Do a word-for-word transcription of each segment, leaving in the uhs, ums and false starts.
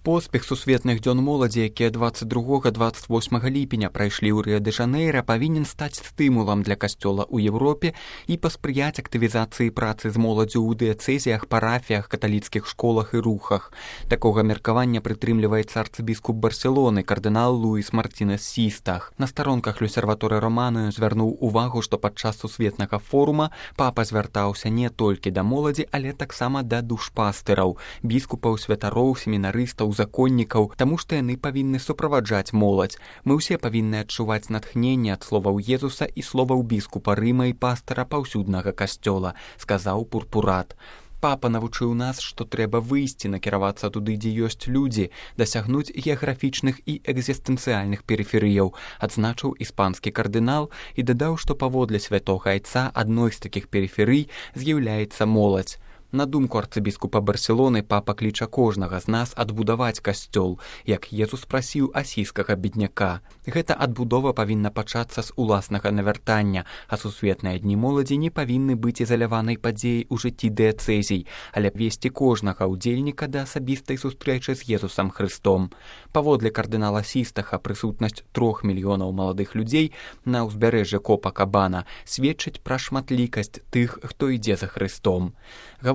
Поспех сусветных дзён моладзі, якія дваццаць другога - дваццаць восьмага ліпеня прайшлі ў Рыа-дэ-Жанэйра, павінен стаць стымулам для касцёла ў Еўропе і паспрыяць актывізацыі працы з моладзю ў дыяцэзіях, парафіях, каталіцкіх школах і рухах. Такога меркавання прытрымліваецца арцыбіскуп Барселоны, кардынал Луіс Мартінес Систах. На старонках Люсерваторы Романую звярнуў увагу, што падчас сусветнага форума папа звяртаўся не толькі да моладзі, але таксама да душпастыраў, біскупаў, святароў, семінарыстаў, законнікаў, таму што яны павінны суправаджаць моладзь. Мы ўсе павінны адчуваць натхненне ад словаў Езуса і словаў біскупа Рыма і пастара паўсюднага касцёла, сказаў пурпурат. Папа навучыў нас, што трэба выйсці, накіравацца туды, дзе ёсць людзі, дасягнуць геаграфічных і экзістэнцыяльных перыферыяў, адзначыў іспанскі кардынал і дадаў, што паводле святога айца адной з такіх перыферый з'яўляецца моладзь. На думку арцыбіскупа Барселоны, папа кліча кожнага з нас адбудаваць касцёл, як Езус прасіў асійскага бедняка. Гэта адбудова павінна пачацца з уласнага навяртання, а сусветныя дні моладзі не павінны быць ізаляванай падзеяй у жыцці дыяцэзій, але весці кожнага ўдзельніка да асабістай сустрэчы з Езусам Хрыстом. Паводле кардынала Систаха, прысутнасць трох мільёнаў маладых людзей на ўзбярэжжы Копакабана сведчыць пра шматлікасць тых, хто ідзе за Хрыстом.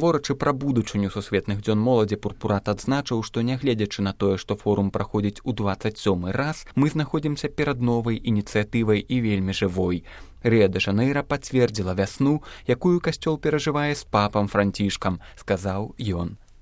Гаворачы пра будучыню сусветных дзён моладзі, пурпурат адзначыў, што нягледзячы на тое, што форум праходзіць у дваццаць сёмы раз, мы знаходзімся перад новай ініцыятывай і вельмі жывой. Рыа-дэ-Жанэйра пацвердзіла вясну, якую касцёл перажывае з папам Францішкам, сказаў ён.